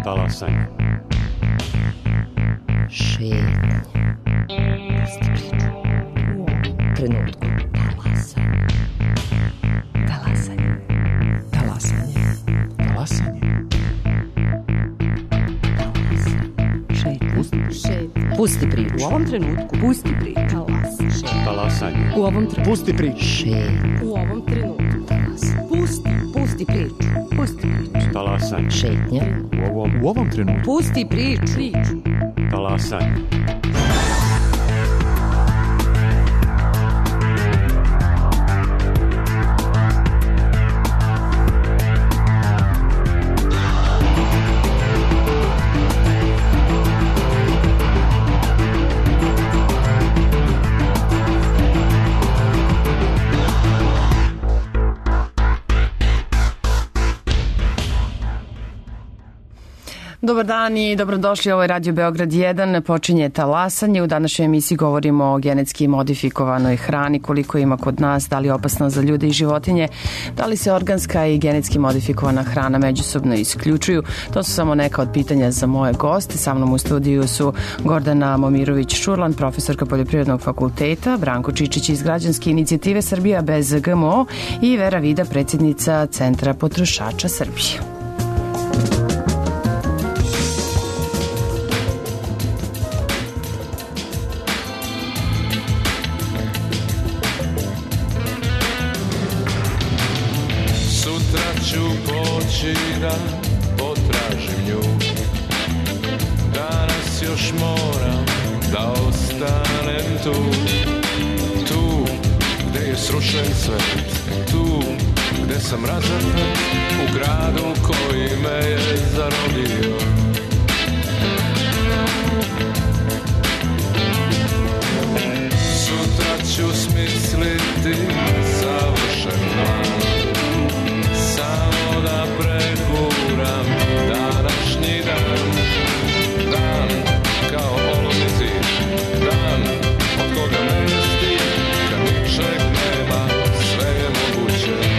Talasanje. Šetnje. Pusti priču. U ovom trenutku. Talasanje. Talasanje. Talasanje. Šetnje. Pusti priču. U ovom trenutku. Pusti priču. Talasanje. U ovom trenutku. Pusti priču. Šetnje. U ovom trenutku. Pusti priču. Pusti priču. Talasanje. Šetnje. U ovom trenutku. Pusti priču. Talasanje. Dobar dan i dobrodošli, ovo je Radio Beograd 1, počinje Talasanje. U današnjoj emisiji govorimo o genetski modifikovanoj hrani, koliko ima kod nas, da li je opasna za ljude i životinje, da li se organska i genetski modifikovana hrana međusobno isključuju. To su samo neka od pitanja za moje goste. Sa mnom u studiju su Gordana Momirović-Šurlan, profesorka Poljoprivrednog fakulteta, Branko Čičić iz Građanske inicijative Srbija bez GMO i Vera Vida, predsjednica Centra potrošača Srbije. Da potražim nju, danas još moram da ostanem tu, tu gde je srušen svet, tu gde sam razapet u gradu koji me je zarobio. Sutra ću smisliti savršen plan, samo da prekuram današnji dan. Dan kao olovni zid, dan od koga me ne stid, kad ničeg nema, sve je moguće.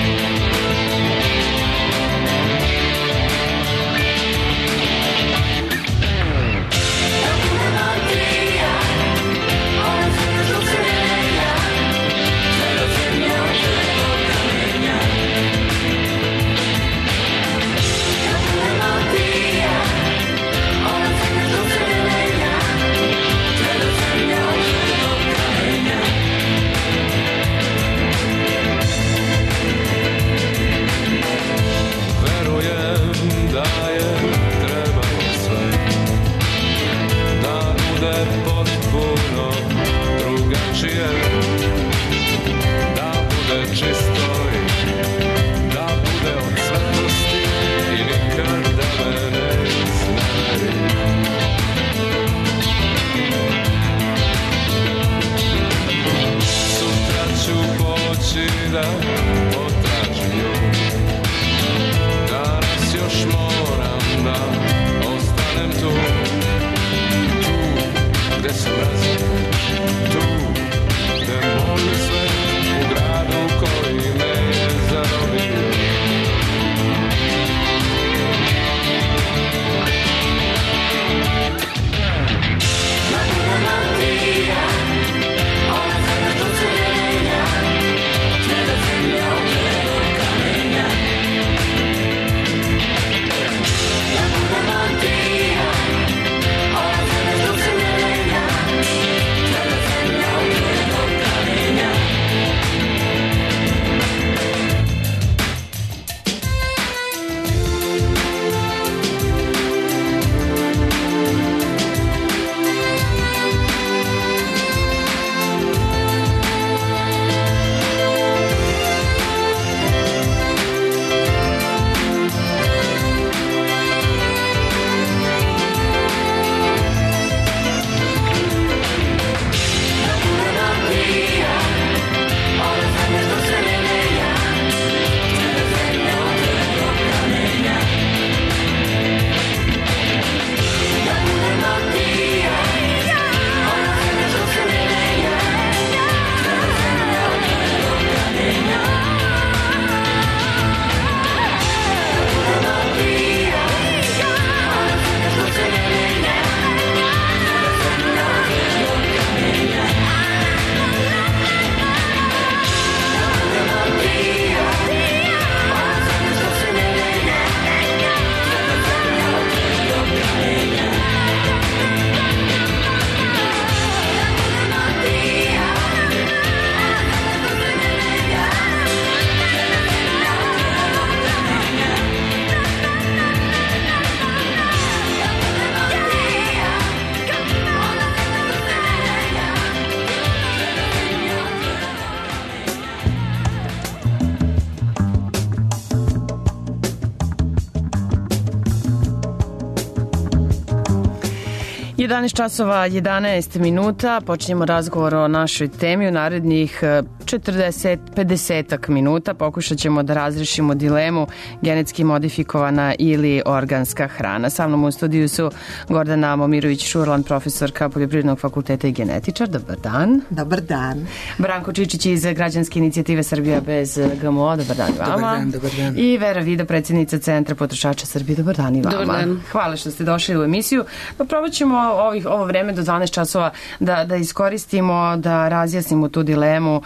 11 časova 11 minuta, počinjemo razgovor o našoj temi. U narednih 40-50 minuta pokušat ćemo da razrešimo dilemu genetski modifikovana ili organska hrana. Sa mnom u studiju su Gordana Momirović-Šurlan, profesorka Poljoprivrednog fakulteta i genetičar. Dobar dan. Dobar dan. Branko Čičić iz Građanske inicijative Srbija bez GMO. Dobar dan vama. Dobar dan, dobar dan. I Vera Vida, predsjednica Centra potrošača Srbije. Dobar dan i vama. Dobar dan. Hvala što ste došli u emisiju. Pa probat ćemo ovo vreme do 12 časova da iskoristimo, da razjasnimo tu dilemu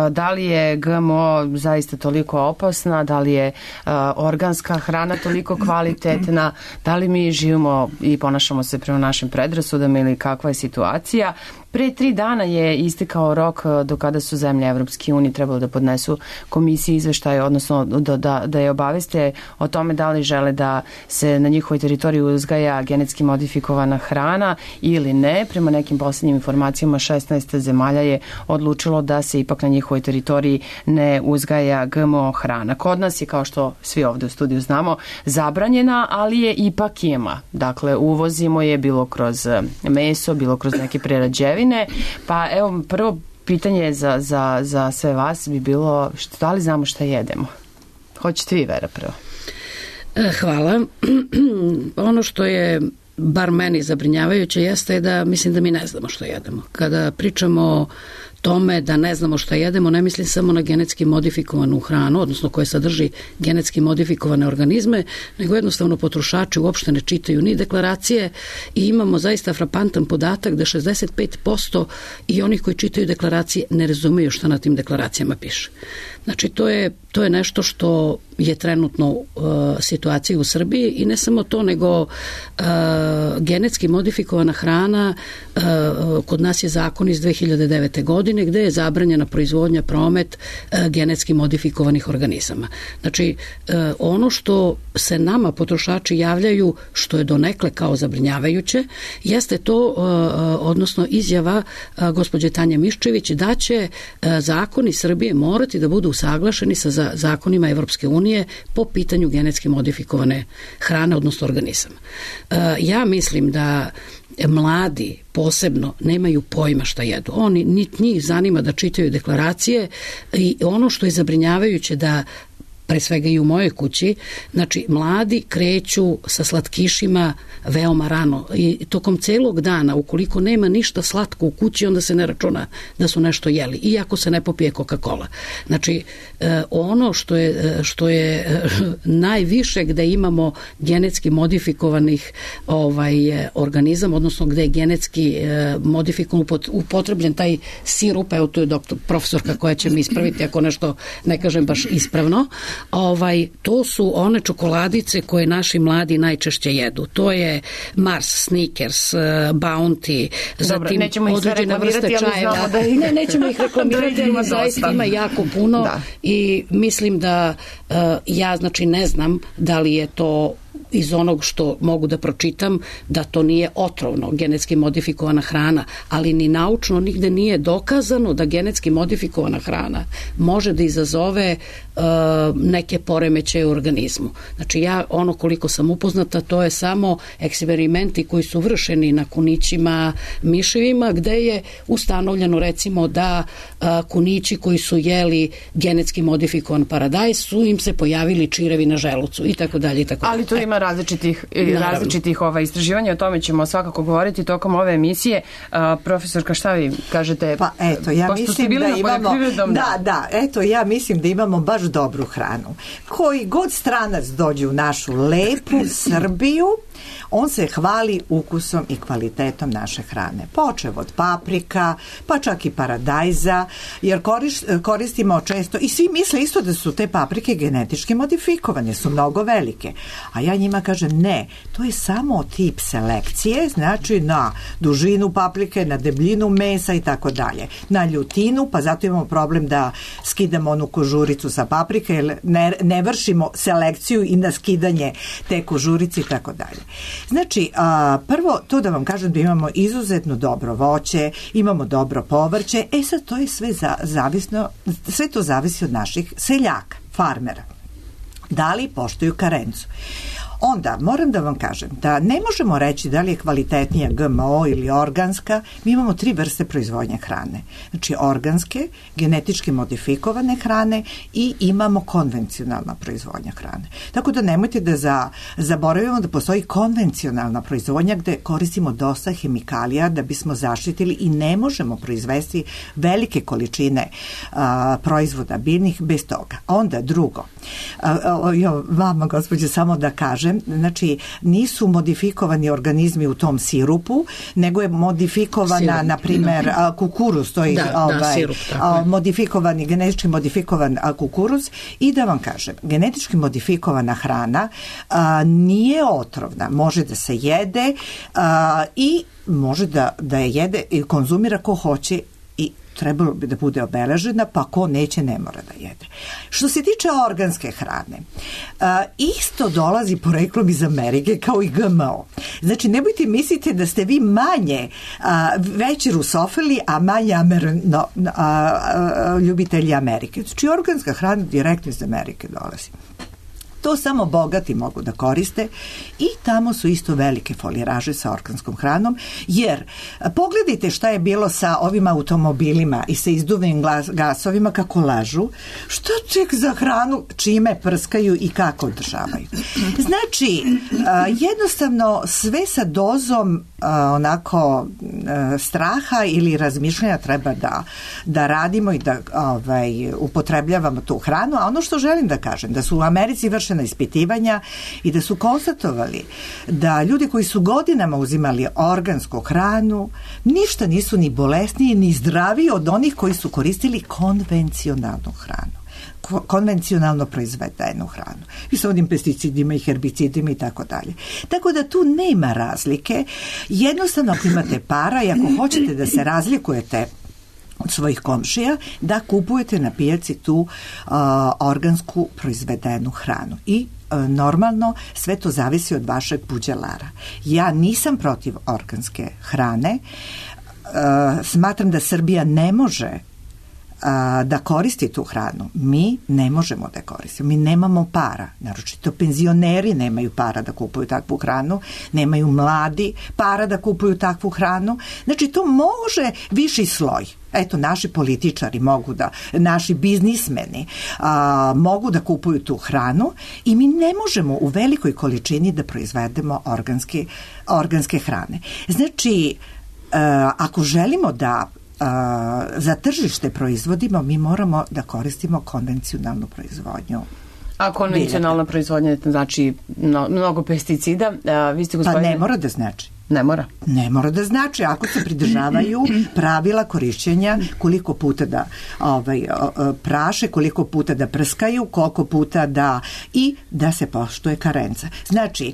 da li je GMO zaista toliko opasna, da li je organska hrana toliko kvalitetna, da li mi živimo i ponašamo se prema našim predrasudama ili kakva je situacija. Pre 3 dana je istekao rok do kada su zemlje Evropske unije trebalo da podnesu komisiji izveštaje, odnosno da je obaveste o tome da li žele da se na njihovoj teritoriji uzgaja genetski modifikovana hrana ili ne. Prema nekim posljednjim informacijama 16 zemalja je odlučilo da se ipak na njihovoj teritoriji ne uzgaja GMO hrana. Kod nas je, kao što svi ovde u studiju znamo, zabranjena, ali je ipak ima. Dakle, uvozimo je bilo kroz meso, bilo kroz neke prerađevine. Pa evo, prvo pitanje za sve vas bi bilo da li znamo šta jedemo? Hoćete vi, Vera, prvo? Hvala. Ono što je bar meni zabrinjavajuće jeste da mislim da mi ne znamo što jedemo. Kada pričamo o tome da ne znamo šta jedemo, ne mislim samo na genetski modifikovanu hranu, odnosno koje sadrži genetski modifikovane organizme, nego jednostavno potrošači uopšte ne čitaju ni deklaracije i imamo zaista frapantan podatak da 65% i onih koji čitaju deklaracije ne razumeju šta na tim deklaracijama piše. Znači, to je nešto što je trenutno situacija u Srbiji i ne samo to, nego genetski modifikovana hrana, kod nas je zakon iz 2009. godine gde je zabranjena proizvodnja, promet genetski modifikovanih organizama. Znači, ono što se nama potrošači javljaju, što je donekle kao zabrinjavajuće, jeste to, odnosno izjava gospođe Tanje Miščević da će zakoni Srbije morati da budu usaglašeni sa zakonima Evropske unije po pitanju genetski modifikovane hrane, odnosno organizama. Ja mislim da mladi posebno nemaju pojma šta jedu. Oni, niti njih zanima da čitaju deklaracije i ono što je zabrinjavajuće da pre svega i u mojoj kući, znači mladi kreću sa slatkišima veoma rano i tokom celog dana, ukoliko nema ništa slatko u kući, onda se ne računa da su nešto jeli, iako se ne popije Coca-Cola. Znači, ono što je najviše gde imamo genetski modifikovanih organizama, odnosno gde je genetski modifikovan upotrebljen taj sirup, evo tu je profesorka koja će mi ispraviti ako nešto ne kažem baš ispravno, to su one čokoladice koje naši mladi najčešće jedu. To je Mars, Snickers, Bounty, zatim određena vrsta čajeva. Nećemo ih reklamirati, ali zaista ima jako puno i mislim da ja znači ne znam da li je to iz onog što mogu da pročitam da to nije otrovno, genetski modifikovana hrana, ali ni naučno nigde nije dokazano da genetski modifikovana hrana može da izazove neke poremećaje u organizmu. Znači ja ono koliko sam upoznata to je samo eksperimenti koji su vršeni na kunićima, miševima gde je ustanovljeno recimo da kunići koji su jeli genetski modifikovan paradajz su im se pojavili čirevi na želucu i tako dalje i tako dalje. Ali tu ima različitih istraživanja, o tome ćemo svakako govoriti tokom ove emisije. Profesorka, šta vi kažete? Pa eto, ja mislim da imamo ja mislim da imamo baš dobru hranu. Koji god stranac dođe u našu lepu Srbiju, on se hvali ukusom i kvalitetom naše hrane. Počev od paprika, pa čak i paradajza, jer koristimo često, i svi misle isto da su te paprike genetički modifikovane, su mnogo velike. A ja njima kažem ne, to je samo tip selekcije, znači na dužinu paprike, na debljinu mesa i tako dalje. Na ljutinu, pa zato imamo problem da skidamo onu kožuricu sa paprike, jer ne vršimo selekciju i na skidanje te kožurice i tako dalje. Znači, prvo to da vam kažem da imamo izuzetno dobro voće, imamo dobro povrće, sad to je sve zavisno, sve to zavisi od naših seljaka, farmera. Da li poštuju karencu? Onda, moram da vam kažem da ne možemo reći da li je kvalitetnija GMO ili organska. Mi imamo 3 vrste proizvodnje hrane. Znači, organske, genetički modifikovane hrane i imamo konvencionalna proizvodnja hrane. Tako da nemojte da zaboravimo da postoji konvencionalna proizvodnja gde koristimo dosta hemikalija da bismo zaštitili i ne možemo proizvesti velike količine proizvoda biljnih bez toga. Onda drugo, vama gospođe samo da kažem, znači nisu modifikovani organizmi u tom sirupu, nego je modifikovana na primer kukuruz, to je sirup, modifikovani, genetički modifikovan kukuruz. I da vam kažem, genetički modifikovana hrana nije otrovna, može da se jede i može da je jede i konzumira ko hoće i trebalo bi da bude obeležena, pa ko neće ne mora da jede. Što se tiče organske hrane, isto dolazi poreklom iz Amerike kao i GMO. Znači, nemojte mislite da ste vi manje veći rusofili, a manje ljubitelji Amerike. Znači, organska hrana direktno iz Amerike dolazi. To samo bogati mogu da koriste i tamo su isto velike foliraže sa organskom hranom, jer pogledajte šta je bilo sa ovim automobilima i sa izduvnim gasovima, kako lažu, što ček za hranu, čime prskaju i kako održavaju. Znači, jednostavno sve sa dozom onako straha ili razmišljanja treba da radimo i da upotrebljavamo tu hranu, a ono što želim da kažem, da su u Americi vršena ispitivanja i da su konstatovali da ljudi koji su godinama uzimali organsku hranu ništa nisu ni bolesniji ni zdraviji od onih koji su koristili konvencionalnu hranu, konvencionalno proizvedenu hranu i sa onim pesticidima i herbicidima i tako dalje. Tako da tu nema razlike. Jednostavno, ako imate para i ako hoćete da se razlikujete od svojih komšija, da kupujete na pijaci tu organsku proizvedenu hranu. I normalno sve to zavisi od vašeg buđelara. Ja nisam protiv organske hrane. Smatram da Srbija ne može da koristi tu hranu. Mi ne možemo da koristimo. Mi nemamo para. Naročito penzioneri nemaju para da kupuju takvu hranu. Nemaju mladi para da kupuju takvu hranu. Znači, to može viši sloj. Eto, naši političari mogu da, naši biznismeni mogu da kupuju tu hranu i mi ne možemo u velikoj količini da proizvedemo organske hrane. Znači, ako želimo da za tržište proizvodimo, mi moramo da koristimo konvencionalnu proizvodnju. A konvencionalna proizvodnja znači mnogo pesticida. Vi ste, gospodine... Pa ne mora da znači. Ne mora? Ne mora da znači, ako se pridržavaju pravila korišćenja, koliko puta da praše, koliko puta da prskaju, koliko puta i da se poštuje karenca. Znači,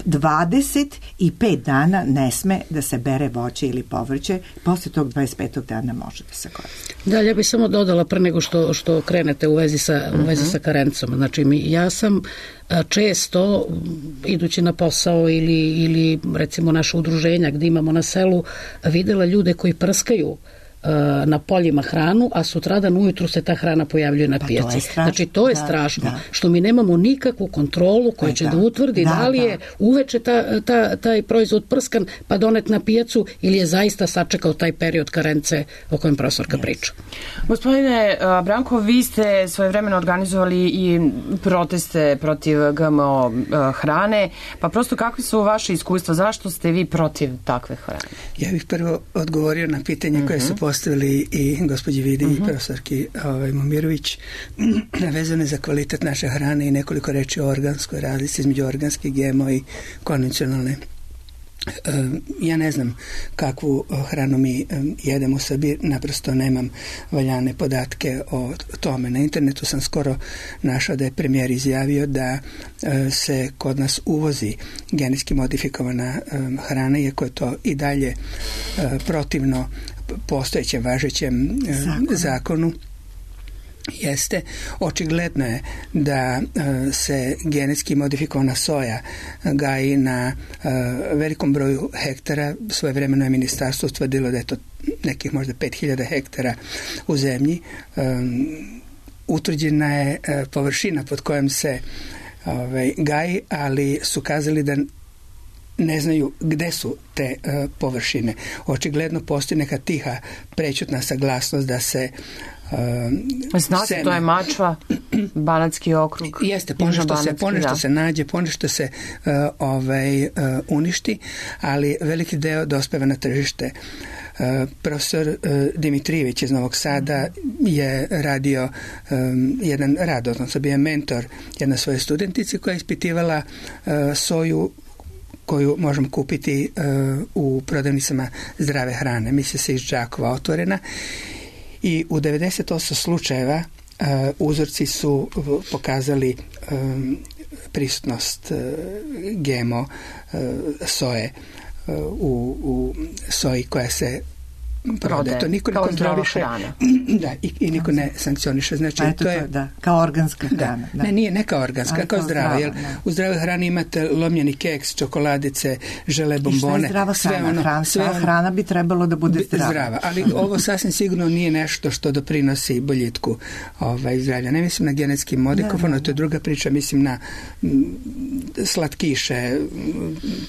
25 dana ne sme da se bere voće ili povrće, posle tog 25. dana može da se koristi. Da, ja bih samo dodala pre nego što krenete u vezi sa karencom. Znači, ja sam često, idući na posao ili recimo naše udruženja gdje imamo na selu, videla ljude koji prskaju na poljima hranu, a sutradan ujutru se ta hrana pojavljuje na pijaci. Znači, to je strašno, što mi nemamo nikakvu kontrolu koja će da utvrdi da li je uveče taj proizvod prskan pa donet na pijacu ili je zaista sačekao taj period karence o kojem profesorka priča. Gospodine Branko, vi ste svojevremeno organizovali i proteste protiv GMO hrane, pa prosto kakve su vaše iskustva? Zašto ste vi protiv takve hrane? Ja bih prvo odgovorio na pitanje koje su postavili i gospođi Vidi i profesorki Momirović vezane za kvalitet naše hrane i nekoliko reči o organskoj razlici između organske, GMO i konvencionalne. Ja ne znam kakvu hranu mi jedemo u Srbiji, naprosto nemam valjane podatke o tome. Na internetu sam skoro našao da je premijer izjavio da se kod nas uvozi genetski modifikovana hrana, iako je to i dalje protivno postojećem važećem zakonu. Jeste, očigledno je da se genetski modifikovana soja gaji na velikom broju hektara. Svojevremeno je ministarstvo utvrdilo da je to nekih možda 5000 hektara u zemlji. Utvrđena je površina pod kojom se gaji, ali su kazali da ne znaju gde su te površine. Očigledno postoji neka tiha prećutna saglasnost da se znate, to je Mačva, Banatski okrug. Jeste, ponešto se nađe, ponešto se uništi, ali veliki deo dospeva na tržište. Profesor Dimitrijević iz Novog Sada je radio jedan rad, odnosno bio je mentor jedna svoje studentici koja je ispitivala soju koju možemo kupiti u prodavnicama zdrave hrane. Misli se iz Đakova otvorena. I u 98 slučajeva uzorci su pokazali prisutnost GMO soje u soji koja se prodaje. To niko ne kontroliše. Da, i niko ne sankcioniše. Znači, to je kao organska hrana. Da. Ne kao organska, kao zdrava. Jer u zdravoj hrani imate lomljeni keks, čokoladice, žele, bombone. I šta je zdrava hrana? Sva hrana bi trebalo da bude zdrava. Ali ovo sasvim sigurno nije nešto što doprinosi boljitku zdravlja. Ne mislim na genetski modifikovano, to je druga priča, mislim na slatkiše,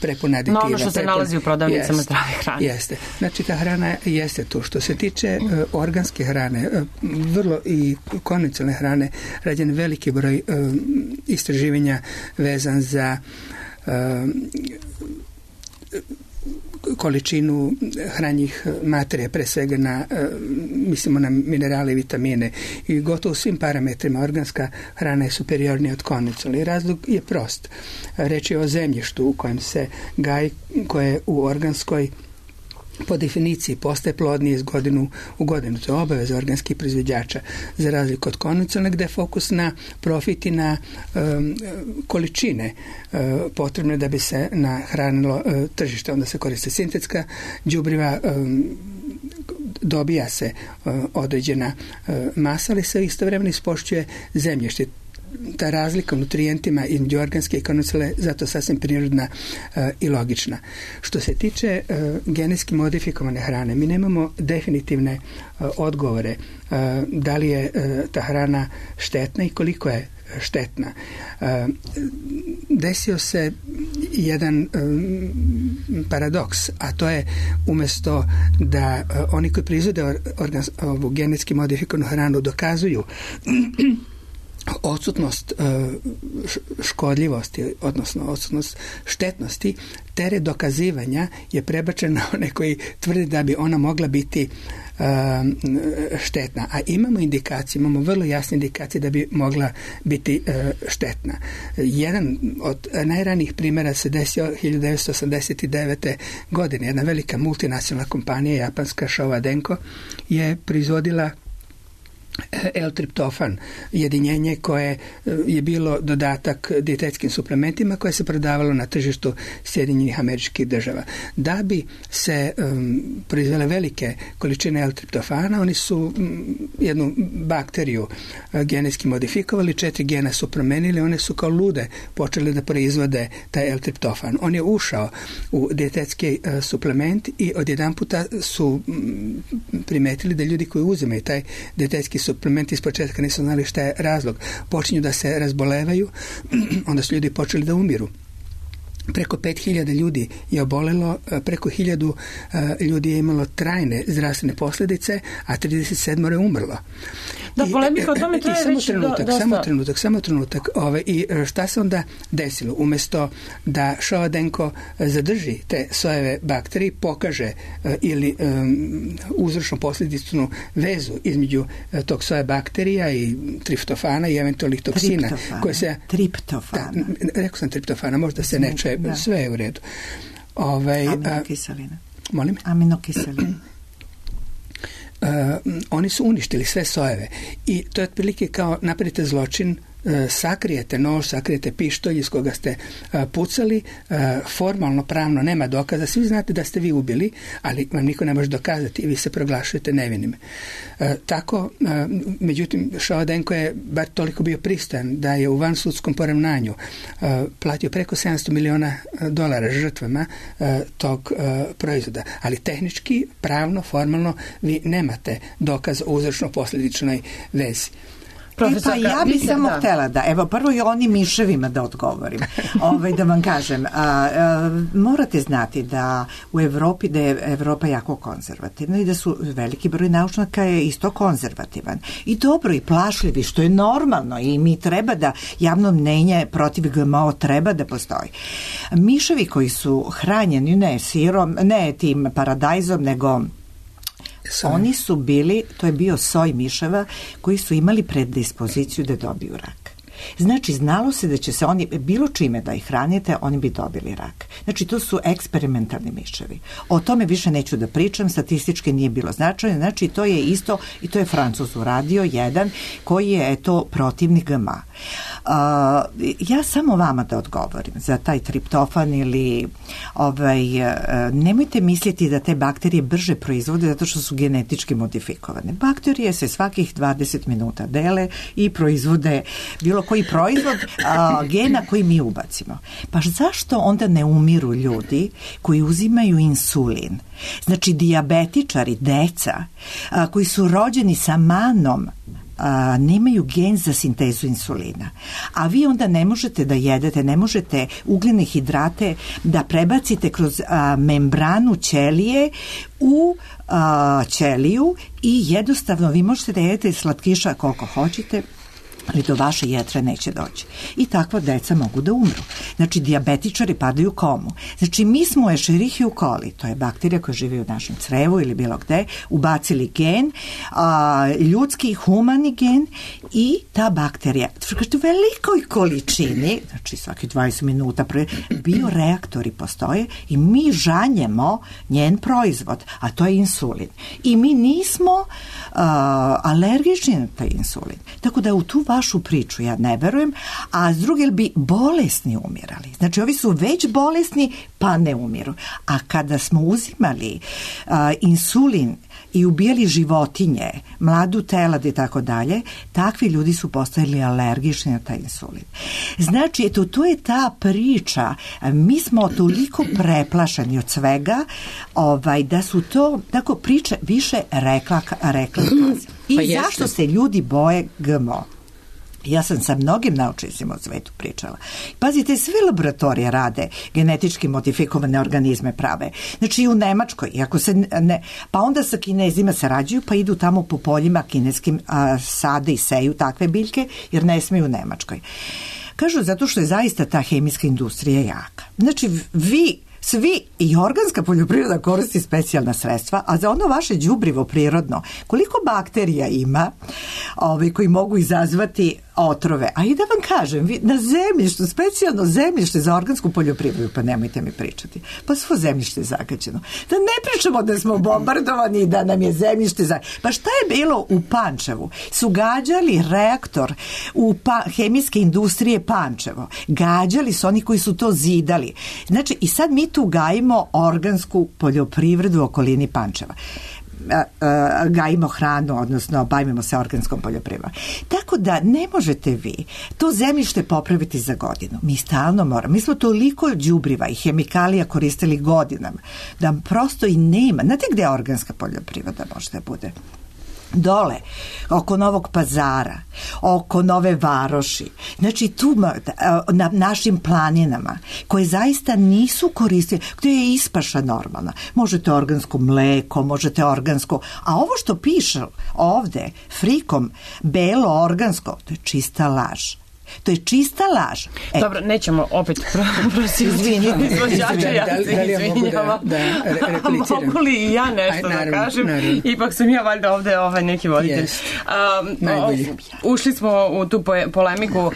prepune aditive. No, ono što se nalazi u prodavnicama zdrave hrane. Jeste. Znači, ta hrana jeste tu. Što se tiče organske hrane, vrlo i konvencionalne hrane, rađen veliki broj istraživanja vezan za količinu hranjivih materija, pre svega mislimo na minerale i vitamine, i gotovo svim parametrima organska hrana je superiornija od konvencionalne. Razlog je prost. Reč je o zemljištu u kojem se gaji, koje u organskoj po definiciji postaje plodnije iz godinu u godinu. To je obaveza organskih proizvođača, za razliku od konvencionalne gde je fokus na profit i na količine potrebne da bi se nahranilo tržište. Onda se koriste sintetska đubriva, dobija se određena masa, ali se istovremeno ispošćuje zemljište. Ta razlika u nutrijentima između organske i konvencionalne zato sasvim prirodna i logična. Što se tiče genetski modifikovane hrane, mi nemamo definitivne odgovore da li je ta hrana štetna i koliko je štetna. Desio se jedan paradoks, a to je umjesto da oni koji proizvode ovu genetski modifikovanu hranu dokazuju odsutnost škodljivosti, odnosno odsutnost štetnosti, teret dokazivanja je prebačen na one koji tvrde da bi ona mogla biti štetna. A imamo indikacije, imamo vrlo jasne indikacije da bi mogla biti štetna. Jedan od najranijih primjera se desio 1989. godine. Jedna velika multinacionalna kompanija, japanska Showa Denko, je proizvodila L-triptofan, jedinjenje koje je bilo dodatak dijetetskim suplementima koje se prodavalo na tržištu Sjedinjenih Američkih Država. Da bi se proizvele velike količine L-triptofana, oni su jednu bakteriju genetski modifikovali, 4 gena su promenili, one su kao lude počeli da proizvode taj L-triptofan. On je ušao u dijetetski suplement i odjedanputa su primetili da ljudi koji uzimaju taj dijetetski suplementi iz početka nisu znali šta je razlog. Počinju da se razbolevaju, onda su ljudi počeli da umiru. Preko 5000 ljudi je obolelo, preko 1000 ljudi je imalo trajne zdravstvene posljedice, a 37 je umrlo. Da, polemika o tome traje već dosta. Samo trenutak. I šta se onda desilo? Umjesto da Showa Denko zadrži te sojeve bakterije, pokaže ili uzročno posljedičnu vezu između tog soja bakterija i triptofana i eventualnih toksina. Triptofana. Rekao sam triptofana, možda se ne čuje, sve je u redu. Aminokiseline. Molim? Aminokiseline. Oni su uništili sve sojeve i to je otprilike kao napravite zločin, sakrijete nož, sakrijete pištolj iz koga ste pucali, formalno, pravno nema dokaza, svi znate da ste vi ubili, ali vam niko ne može dokazati i vi se proglašujete nevinim. Tako, međutim, Showa Denko je bar toliko bio pristojan da je u vansudskom poravnanju platio preko $700 miliona žrtvama tog proizvoda, ali tehnički, pravno, formalno vi nemate dokaz o uzročno-posljedičnoj vezi. Pa ja bi samo htela da, evo prvo i oni miševima da odgovorim, da vam kažem, morate znati da u Evropi, da je Evropa jako konzervativna i da su veliki broj naučnjaka je isto konzervativan i dobro i plašljivi, što je normalno i mi treba da javno mnenje protiv GMO treba da postoji. Miševi koji su hranjeni ne sirom, ne tim paradajzom, nego oni su bili, to je bio soj miševa koji su imali predispoziciju da dobiju rak. Znači, znalo se da će se oni, bilo čime da ih hranite, oni bi dobili rak. Znači, to su eksperimentalni miševi. O tome više neću da pričam, statistički nije bilo značajno. Znači, to je isto, i to je Francuz uradio, jedan, koji je, protivnik GMO. Ja samo vama da odgovorim za taj triptofan ili nemojte misliti da te bakterije brže proizvode zato što su genetički modifikovane. Bakterije se svakih 20 minuta dele i proizvode bilo koji proizvod gena koji mi ubacimo. Pa zašto onda ne umiru ljudi koji uzimaju insulin? Znači, dijabetičari, deca koji su rođeni sa manom, nemaju gen za sintezu insulina. A vi onda ne možete da jedete, ne možete ugljene hidrate da prebacite kroz membranu ćelije u ćeliju i jednostavno vi možete da jedete slatkiša koliko hoćete, ali do vaše jetre neće doći. I takva deca mogu da umru. Znači, dijabetičari padaju u komu. Znači, mi smo Escherichia coli, to je bakterija koja živi u našem crevu ili bilo gde, ubacili gen, ljudski, humani gen i ta bakterija u velikoj količini, znači svaki 20 minuta bioreaktori postoje i mi žanjemo njen proizvod, a to je insulin. I mi nismo alergični na taj insulin. Tako da u tu vašu priču ja ne verujem, a s druge bi bolesni umirali. Znači, ovi su već bolesni, pa ne umiru. A kada smo uzimali insulin i ubijali životinje, mladu telad i tako dalje, takvi ljudi su postajali alergični na taj insulin. Znači, to je ta priča. Mi smo toliko preplašeni od svega da su to tako priče više rekla. I zašto se ljudi boje GMO? Ja sam sa mnogim naučnicima u svetu pričala. Pazite, sve laboratorije rade genetički modifikovane organizme prave. Znači i u Nemačkoj, iako se pa onda sa Kinezima sarađuju, pa idu tamo po poljima kineskim sade i seju takve biljke, jer ne smiju u Nemačkoj. Kažu zato što je zaista ta hemijska industrija jaka. Znači svi i organska poljoprivreda koristi specijalna sredstva, a za ono vaše đubrivo prirodno, koliko bakterija ima koji mogu izazvati otrove. A i da vam kažem, na zemljištu, specijalno zemljište za organsku poljoprivredu, pa nemojte mi pričati, pa svo zemljište je zagađeno. Da ne pričamo da smo bombardovani i da nam je zemljište zagađeno. Pa šta je bilo u Pančevu? Su gađali reaktor u hemijske industrije Pančevo. Gađali su oni koji su to zidali. Znači, i sad mi tu gajimo organsku poljoprivredu u okolini Pančeva. Gajimo hranu, odnosno bavimo se organskom poljoprivredom. Tako da ne možete vi to zemljište popraviti za godinu. Mi stalno moramo. Mi smo toliko đubriva i hemikalija koristili godinama da prosto i nema. Znate gde organska poljoprivreda može da bude? Dole, oko Novog Pazara, oko Nove Varoši, znači tu na našim planinama koje zaista nisu koristili, gdje je ispaša normalna. Možete organsko mleko, možete organsko, a ovo što piše ovde frikom belo organsko, to je čista laž. To je čista laž. Dobro, nećemo opet izvinjavati izvođača, ja se izvinjavam. Da repliciram. Mogu li i ja nešto da kažem? Ipak sam ja valjda ovde neki voditelj. Ušli smo u tu polemiku.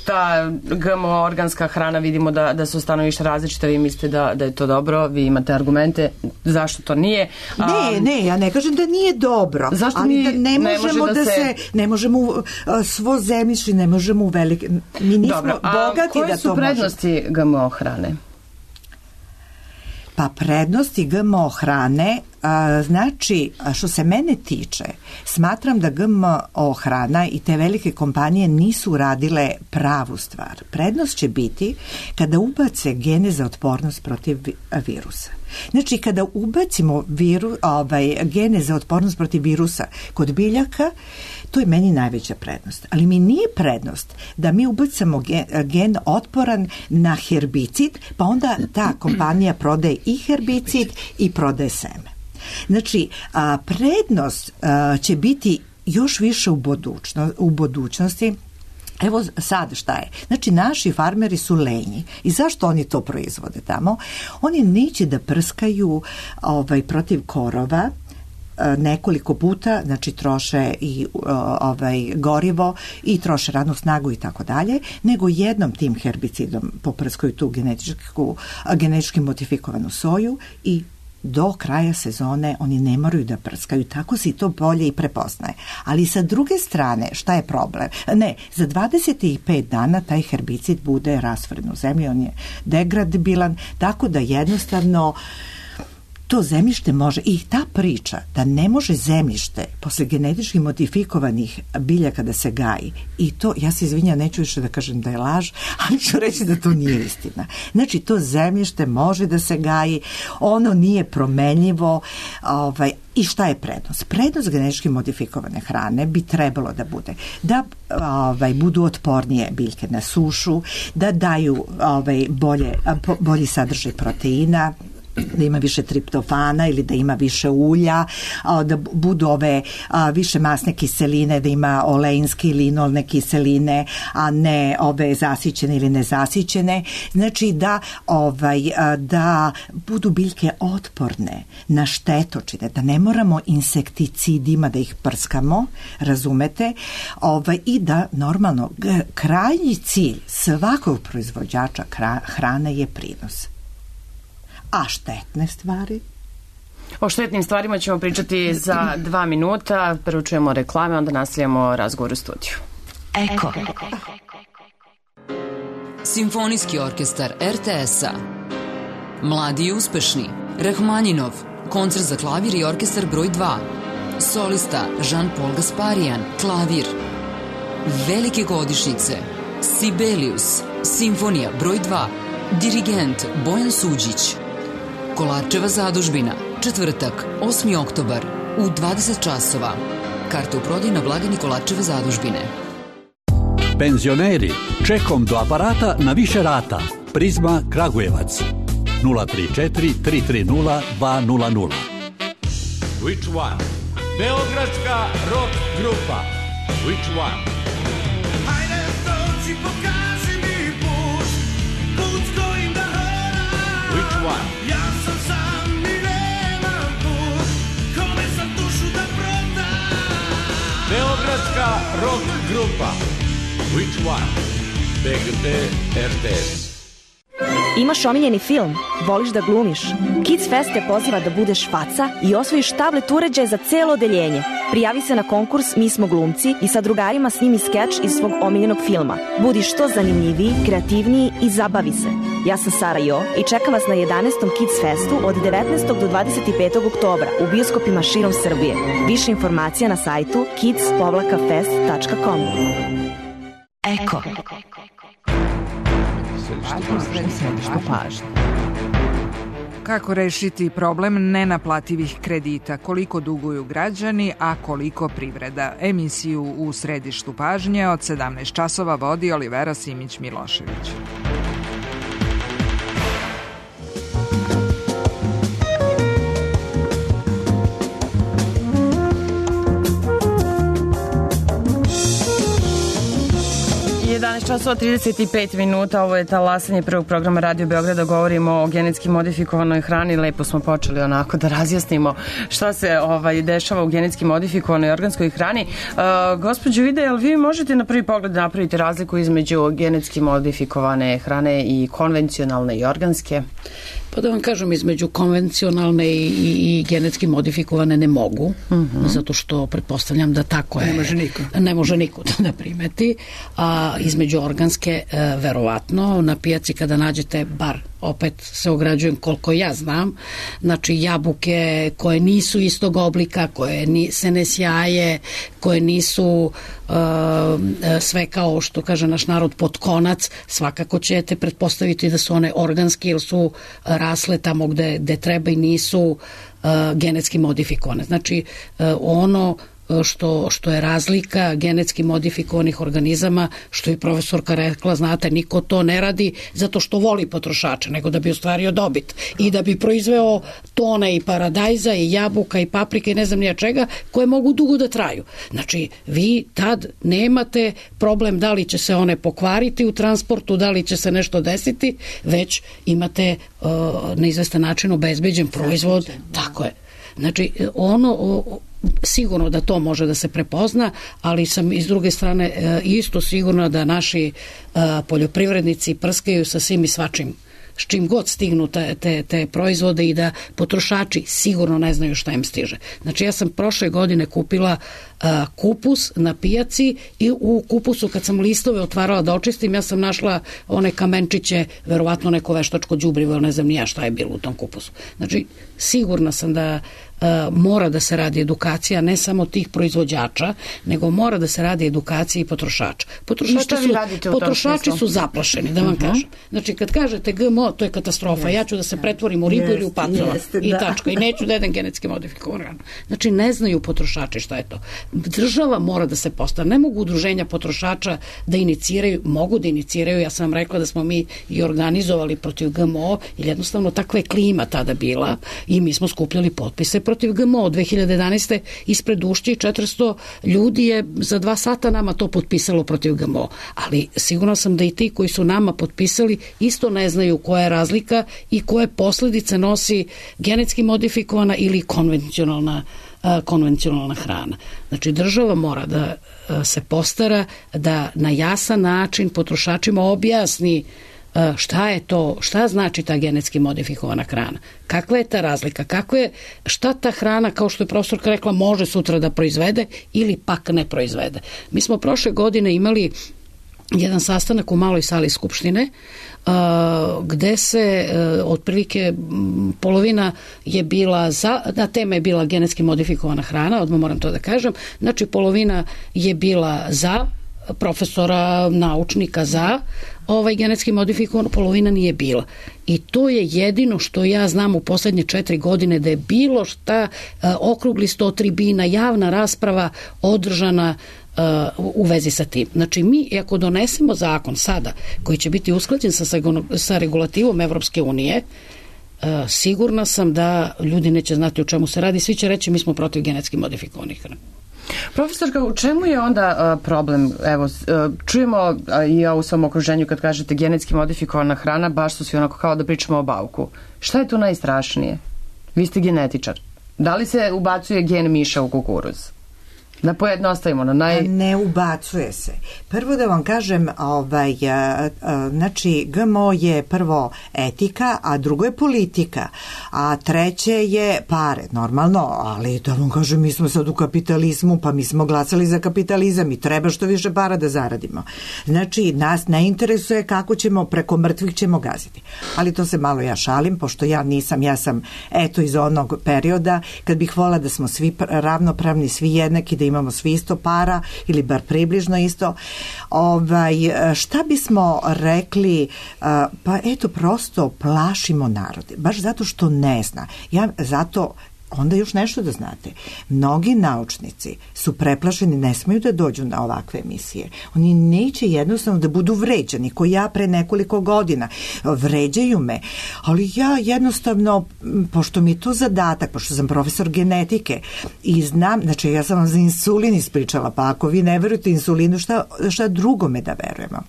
Ta GMO organska hrana, vidimo da su stanovišta različita. Vi mislite da je to dobro, vi imate argumente zašto to nije. Ne, ja ne kažem da nije dobro. Zašto mi ne možemo svo zemljište, ne možemo u velike... Mi nismo bogati da to možemo. Koje su prednosti GMO hrane? Pa prednosti GMO hrane Znači, što se mene tiče, smatram da GMO hrana i te velike kompanije nisu radile pravu stvar. Prednost će biti kada ubace gene za otpornost protiv virusa. Znači, kada ubacimo gene za otpornost protiv virusa kod biljaka, to je meni najveća prednost. Ali mi nije prednost da mi ubacamo gen otporan na herbicid, pa onda ta kompanija prodaje i herbicid i prodaje seme. Znači, prednost će biti još više u budućnosti. Evo sad šta je. Znači, naši farmeri su lenji. I zašto oni to proizvode tamo? Oni neće da prskaju protiv korova nekoliko puta, znači troše i gorivo i troše radnu snagu i tako dalje, nego jednom tim herbicidom poprskaju tu genetički modifikovanu soju i do kraja sezone oni ne moraju da prskaju, tako se i to bolje i prepoznaje. Ali sa druge strane, šta je problem? Ne, za 25 dana taj herbicid bude rastvoren u zemlji, on je degradabilan, tako da jednostavno to zemljište može, i ta priča da ne može zemljište posle genetički modifikovanih biljaka da se gaji, i to, ja se izvinjam, neću više da kažem da je laž, ali ću reći da to nije istina. Znači, to zemljište može da se gaji, ono nije promenljivo. I šta je prednost? Prednost genetički modifikovane hrane bi trebalo da bude da budu otpornije biljke na sušu, da daju bolji sadržaj proteina, da ima više triptofana ili da ima više ulja, da budu više masne kiseline, da ima oleinske ili linolne kiseline, a ne zasićene ili nezasićene. Znači da budu biljke otporne na štetočine, da ne moramo insekticidima da ih prskamo, razumete, i da normalno krajnji cilj svakog proizvođača hrane je prinos. A štetne stvari? O štetnim stvarima ćemo pričati za 2 minuta. Prvo čujemo reklame, onda nastavljamo razgovor u studiju. Eko. Simfonijski orkestar RTS-a. Mladi i uspešni. Rahmanjinov. Koncert za klavir i orkestar broj 2. Solista Jean-Paul Gasparian. Klavir. Velike godišnjice. Sibelius. Simfonija broj 2. Dirigent Bojan Suđić. Kolarčeva zadužbina, četvrtak, 8. oktobar, u 20 časova. Karte u prodaju na blagajni Kolarčeve zadužbine. Penzioneri, čekom do aparata na više rata. Prizma Kragujevac. 034 330 200. Which one? Beogradska rock grupa. Which one? Hajde, dođi, pokaži mi put, put s kojim da horam. Which one? Ja sam sam i nemam put, kome sam dušu da prodam. Beogradska rock grupa. Which one? BGT RTS. Imaš omiljeni film? Voliš da glumiš? Kids Fest te poziva da budeš faca i osvojiš tablet uređaj za celo odeljenje. Prijavi se na konkurs Mi smo glumci i sa drugarima snimi skeč iz svog omiljenog filma. Budi što zanimljiviji, kreativniji i zabavi se. Ja sam Sara Jo i čekam vas na 11. Kids Festu od 19. do 25. oktobra u bioskopima širom Srbije. Više informacija na sajtu kids-fest.com. Eko. Središte pažnje. Kako rešiti problem nenaplativih kredita, koliko duguju građani, a koliko privreda? Emisiju u središtu pažnje od 17 časova vodi Olivera Simić-Milošević. Časova 35 minuta, ovo je talasanje prvog programa Radio Beograda, govorimo o genetski modifikovanoj hrani, lepo smo počeli onako da razjasnimo šta se dešava u genetski modifikovanoj organskoj hrani. Gospođo Vida, jel vi možete na prvi pogled napraviti razliku između genetski modifikovane hrane i konvencionalne i organske? Pa da vam kažem, između konvencionalne i genetski modifikovane ne mogu, zato što pretpostavljam da tako je. Ne može niko. Ne može niko da ne primeti. A a između organske verovatno na pijaci kada nađete bar, opet se ograđujem koliko ja znam, znači jabuke koje nisu istog oblika, koje se ne sjaje, koje nisu sve kao što kaže naš narod pod konac, svakako ćete pretpostaviti da su one organske ili su rasle tamo gde treba i nisu genetski modifikovane. Znači ono što je razlika genetski modifikovanih organizama, što je profesorka rekla, znate, niko to ne radi zato što voli potrošača, nego da bi ostvario dobit i da bi proizveo tone i paradajza i jabuka i paprike i ne znam nija čega, koje mogu dugo da traju. Znači, vi tad nemate problem da li će se one pokvariti u transportu, da li će se nešto desiti, već imate na izvestan način obezbeđen proizvod. Tako je. Znači, sigurno da to može da se prepozna, ali sam iz druge strane isto sigurna da naši poljoprivrednici prskaju sa svim i svačim, s čim god stignu te proizvode i da potrošači sigurno ne znaju šta im stiže. Znači ja sam prošle godine kupila kupus na pijaci i u kupusu kad sam listove otvarala da očistim, ja sam našla one kamenčiće, verovatno neko veštačko đubrivo, ne znam ni ja šta je bilo u tom kupusu. Znači sigurna sam da mora da se radi edukacija ne samo tih proizvođača, nego mora da se radi edukacija i potrošača. Potrošači su zaplašeni, da vam kažem. Znači kad kažete GMO, to je katastrofa. Ja ću da se pretvorim u ribu ili u pacova i tačka. I neću da jedem genetski modifikovan. Znači ne znaju potrošači šta je to. Država mora da se postavi. Ne mogu udruženja potrošača da iniciraju, mogu da iniciraju. Ja sam rekla da smo mi i organizovali protiv GMO, jer jednostavno takva je klima tada bila i mi smo skupljali potpise protiv GMO. 2011. ispred Ušće 400 ljudi je za 2 sata nama to potpisalo protiv GMO. Ali sigurno sam da i ti koji su nama potpisali isto ne znaju koja je razlika i koje posledice nosi genetski modifikovana ili konvencionalna hrana. Znači država mora da se postara da na jasan način potrošačima objasni šta je to, šta znači ta genetski modifikovana hrana, kakva je ta razlika, šta ta hrana, kao što je profesorka rekla, može sutra da proizvede ili pak ne proizvede. Mi smo prošle godine imali jedan sastanak u maloj sali Skupštine gde se otprilike polovina je bila tema je bila genetski modifikovana hrana, odmah moram to da kažem, znači polovina je bila za, profesora, naučnika za genetski modifikovan, polovina nije bila. I to je jedino što ja znam u poslednje 4 godine da je bilo šta okrugli sto tribina, javna rasprava održana u vezi sa tim. Znači mi, ako donesemo zakon sada koji će biti usklađen sa regulativom Evropske unije, sigurna sam da ljudi neće znati o čemu se radi, svi će reći mi smo protiv genetski modifikovanih hrana. Profesorka, u čemu je onda problem? Evo, čujemo i ja u svom okruženju kad kažete genetski modifikovana hrana, baš su svi onako kao da pričamo o bauku. Šta je tu najstrašnije? Vi ste genetičar. Da li se ubacuje gen miša u kukuruz? Da pojednostavimo Ne ubacuje se. Prvo da vam kažem, znači GMO je prvo etika, a drugo je politika, a treće je pare, normalno, ali da vam kažem, mi smo sad u kapitalizmu, pa mi smo glasali za kapitalizam i treba što više para da zaradimo. Znači, nas ne interesuje kako ćemo, preko mrtvih ćemo gaziti. Ali to se malo ja šalim, pošto ja sam iz onog perioda kad bih volila da smo svi ravnopravni, svi jednaki, da imamo svi isto para ili bar približno isto. Šta bismo rekli, pa eto prosto plašimo narode, baš zato što ne zna. Zato onda još nešto da znate. Mnogi naučnici su preplašeni, ne smeju da dođu na ovakve emisije. Oni neće jednostavno da budu vređani, ko ja pre nekoliko godina. Vređaju me, ali ja jednostavno, pošto mi je to zadatak, pošto sam profesor genetike i znam, znači ja sam vam za insulin ispričala, pa ako vi ne verujete insulinu, šta drugome da verujemo?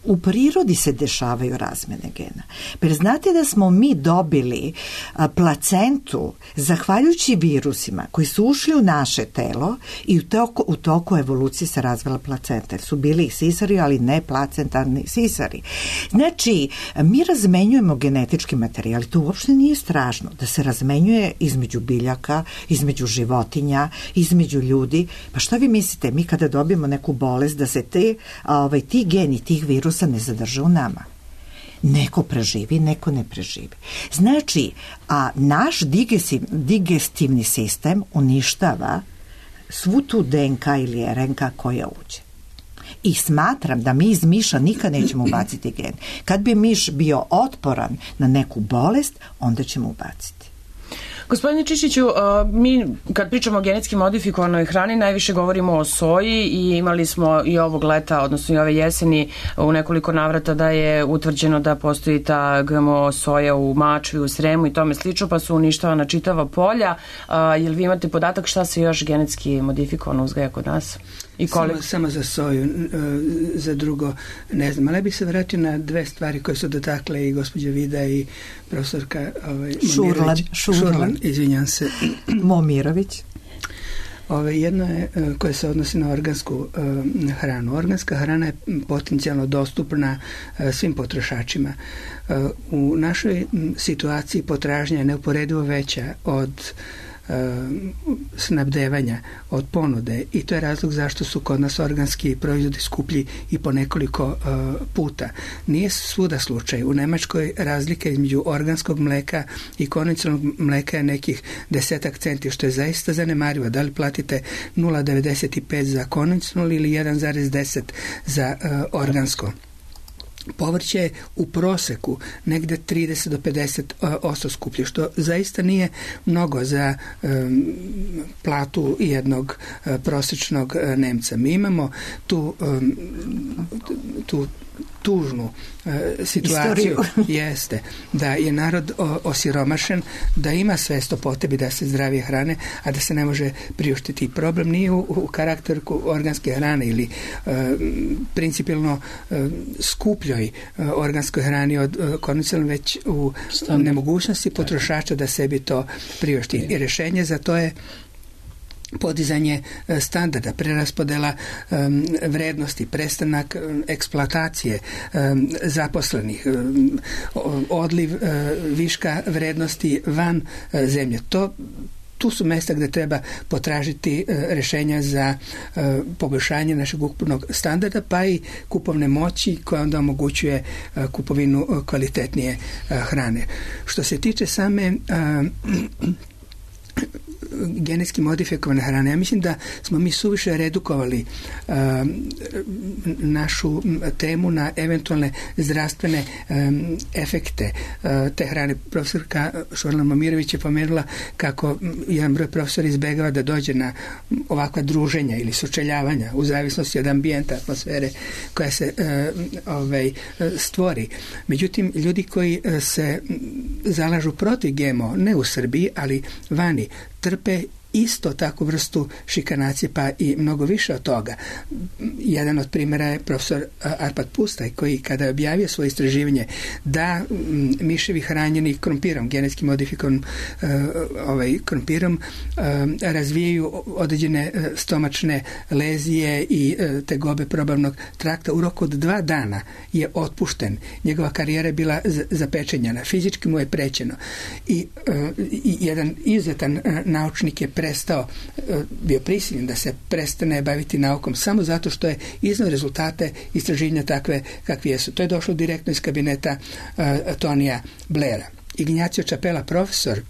u prirodi se dešavaju razmene gena. Jer znate da smo mi dobili placentu zahvaljujući virusima koji su ušli u naše telo i u toku evolucije se razvila placenta. Jer su bili i sisari, ali ne placentarni sisari. Znači, mi razmenjujemo genetički materijal. To uopšte nije strašno da se razmenjuje između biljaka, između životinja, između ljudi. Pa šta vi mislite, mi kada dobijemo neku bolest da se ti geni tih virusa ne zadrže u nama? Neko preživi, neko ne preživi. Znači, a naš digestivni sistem uništava svu tu DNK ili RNK koja uđe. I smatram da mi iz miša nikad nećemo ubaciti gen. Kad bi miš bio otporan na neku bolest, onda ćemo ubaciti. Gospodine Čišiću, mi kad pričamo o genetski modifikovanoj hrani najviše govorimo o soji i imali smo i ovog leta, odnosno i ove jeseni u nekoliko navrata da je utvrđeno da postoji ta GMO soja u Mačvi, u Sremu i tome slično, pa su uništavana čitava polja. Jel vi imate podatak šta se još genetski modifikovano uzgaja kod nas? Samo za soju, za drugo ne znam, ali bih se vratio na dve stvari koje su dotakle i gospođa Vida i profesorka Šurlan, izvinjam se. Momirović. Jedno je koje se odnosi na organsku hranu. Organska hrana je potencijalno dostupna svim potrošačima. U našoj situaciji potražnja je neuporedivo veća od snabdevanja, od ponude, i to je razlog zašto su kod nas organski proizvodi skuplji i po nekoliko puta. Nije svuda slučaj. U Nemačkoj razlika između organskog mleka i konvencionalnog mleka je nekih 10 centi, što je zaista zanemarivo. Da li platite 0,95 za konvencionalno ili 1,10 za organsko? Povrće je u proseku negde 30 do 50% skuplje, što zaista nije mnogo za platu jednog prosječnog Nemca. Mi imamo tu tužnu situaciju jeste da je narod osiromašen, da ima svest o potrebi da se zdravije hrane, a da se ne može priuštiti. Problem nije u karakteru organske hrane ili principijelno skupljoj organskoj hrani od konvencionalno, već u nemogućnosti potrošača da sebi to priušti. I rješenje za to je podizanje standarda, preraspodela vrednosti, prestanak eksploatacije zaposlenih, odliv viška vrednosti van zemlje. Tu su mjesta gdje treba potražiti rješenja za poboljšanje našeg ukupnog standarda, pa i kupovne moći koja onda omogućuje kupovinu kvalitetnije hrane. Što se tiče same genetski modifikovane hrane, ja mislim da smo mi suviše redukovali našu temu na eventualne zdravstvene efekte te hrane. Profesorka Šurlan Momirović je pomenula kako jedan broj profesora izbegava da dođe na ovakva druženja ili sučeljavanja u zavisnosti od ambijenta, atmosfere koja se stvori. Međutim, ljudi koji se zalažu protiv GMO, ne u Srbiji, ali vani, trpe isto takvu vrstu šikanacije, pa i mnogo više od toga. Jedan od primjera je profesor Arpad Pustaj, koji kada je objavio svoje istraživanje da miševi hranjeni krompirom, genetski modifikovan krompirom, razvijaju određene stomačne lezije i tegobe probavnog trakta, u roku od 2 dana je otpušten. Njegova karijera je bila zapečenjena. Fizički mu je prećeno. I jedan izuzetan naučnik je bio prisiljen da se prestane baviti naukom samo zato što je iznao rezultate istraživanja takve kakvi jesu. To je došlo direktno iz kabineta Tonija Blaira. Ignacio Čapela, profesor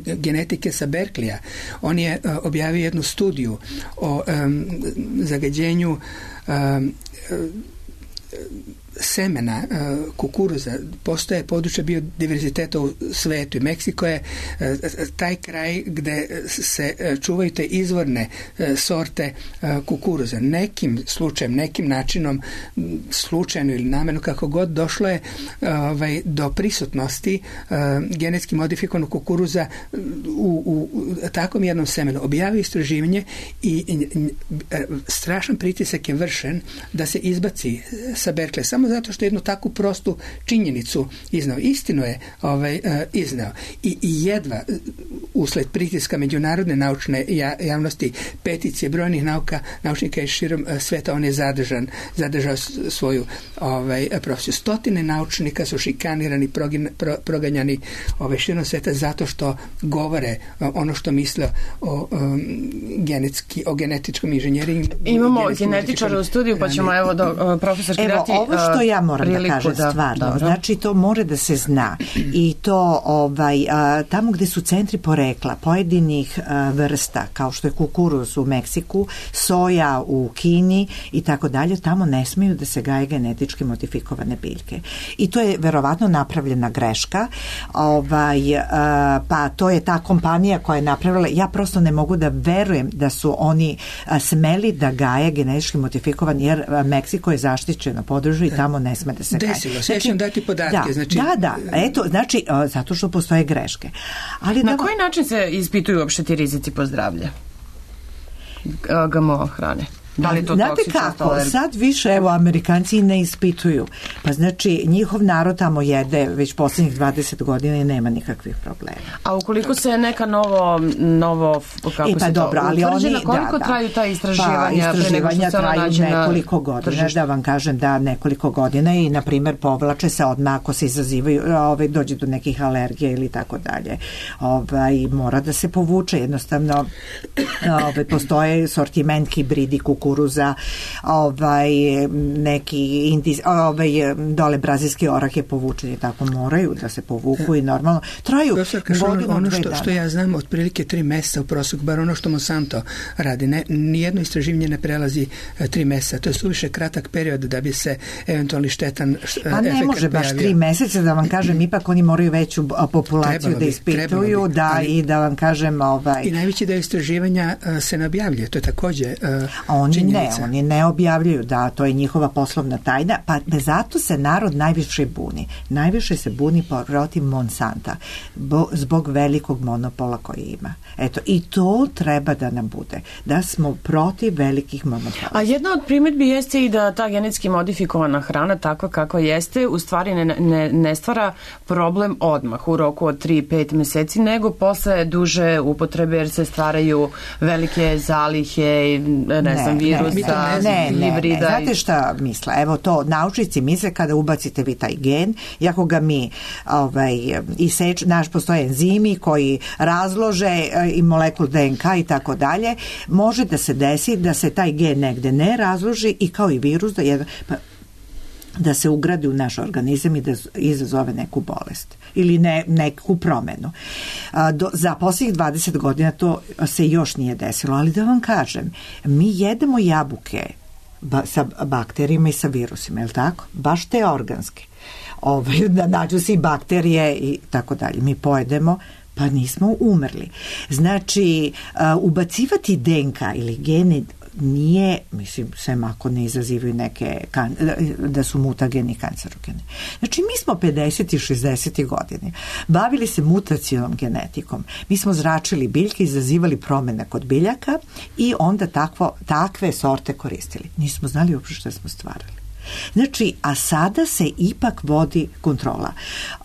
genetike sa Berkeleya, on je objavio jednu studiju o zagađenju semena kukuruza postoje područje biodiverziteta u svetu i Meksiko je taj kraj gde se čuvaju te izvorne sorte kukuruza. Nekim slučajem, nekim načinom, slučajno ili namjerno, kako god, došlo je do prisutnosti genetski modifikovanog kukuruza u takvom jednom semenu. Objavio istraživanje i strašan pritisak je vršen da se izbaci sa Berkeley, samo zato što jednu takvu prostu činjenicu iznao. Istinu je iznao. I jedva usled pritiska međunarodne naučne javnosti, peticije brojnih naučnika iz širom sveta, on je zadržao svoju profesiju. Stotine naučnika su šikanirani, proganjani širom sveta zato što govore ono što misle o genetičkom inženjeringu. Imamo genetičara u studiju, pa ćemo profesorski dati ovo što ja moram da kažem stvarno. Znači, to mora da se zna. I to tamo gde su centri porekla pojedinih vrsta, kao što je kukuruz u Meksiku, soja u Kini i tako dalje, tamo ne smeju da se gaje genetički modifikovane biljke. I to je verovatno napravljena greška. Pa to je ta kompanija koja je napravila. Ja prosto ne mogu da verujem da su oni smeli da gaje genetički modifikovan, jer Meksiko je zaštićeno područje i tamo ne sme da se gaje. Desilo se, ja ću vam dati podatke. Zato što postoje greške. Ali na koji način se ispituju uopšte ti rizici po zdravlje GMO hrane? Da li to znate kako, sad više Amerikanci ne ispituju. Pa znači njihov narod tamo jede već posljednjih 20 godina i nema nikakvih problema. A ukoliko se neka novo kako se dobro, ali utvrđena, koliko traju ta istraživanja? Istraživanja traju nekoliko godina, da vam kažem da nekoliko godina i na primjer povlače se odmah ako se izazivaju, dođe do nekih alergija ili tako dalje. Mora da se povuče, jednostavno postoje sortiment hibridi kukuruza, neki dole brazilski orah je povučen i tako moraju da se povuku i normalno traju ono što ja znam otprilike 3 meseca u proseku, bar ono što Monsanto radi, nijedno istraživanje ne prelazi 3 meseca, to je suviše kratak period da bi se eventualni štetan efekt pojavio. Pa ne može baš 3 meseca, da vam kažem, ipak oni moraju veću populaciju da ispituju, i da vam kažem i najveći deo istraživanja se ne objavljuje, to je takođe oni ne objavljuju, da, to je njihova poslovna tajna, pa zato se narod najviše buni. Najviše se buni protiv Monsanta, zbog velikog monopola koji ima. Eto, i to treba da nam bude, da smo protiv velikih monopola. A jedna od primjedbi jeste i da ta genetski modifikovana hrana, takva kako jeste, u stvari ne stvara problem odmah, u roku od 3-5 meseci, nego posle duže upotrebe, jer se stvaraju velike zalihe, virusa, hibrida. Znate šta misle? Evo to, naučnici misle kada ubacite vi taj gen, i ako ga mi postoje enzimi koji razlože i molekul DNK i tako dalje, može da se desi da se taj gen negde ne razloži i kao i virus da se ugradi u naš organizam i da izazove neku bolest ili neku promenu. Za posljednjih 20 godina to se još nije desilo, ali da vam kažem, mi jedemo jabuke sa bakterijima i sa virusima, je li tako? Baš te organske. Da nađu se i bakterije i tako dalje. Mi pojedemo, pa nismo umrli. Znači, ubacivati DNK ili gene nije, mislim, sem ako ne izazivaju neke, da su mutageni kancerogeni. Znači, mi smo 50. i 60. godine bavili se mutacionom genetikom. Mi smo zračili biljke, izazivali promene kod biljaka i onda takve sorte koristili. Nismo znali uopšte što smo stvarali. Znači, a sada se ipak vodi kontrola.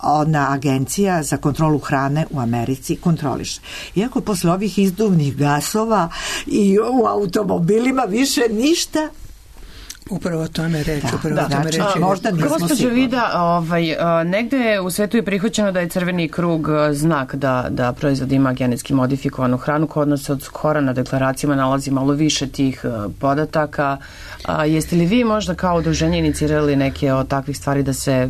Ona agencija za kontrolu hrane u Americi kontroliše. Iako posle ovih izduvnih gasova i u automobilima više ništa. Upravo o tome reći. Gospođo Vida, negde u svetu je prihvaćeno da je crveni krug znak da proizvod ima genetski modifikovanu hranu. Kod nas se od skora na deklaracijama nalazi malo više tih podataka. Jeste li vi možda kao udruženje inicirali neke od takvih stvari da se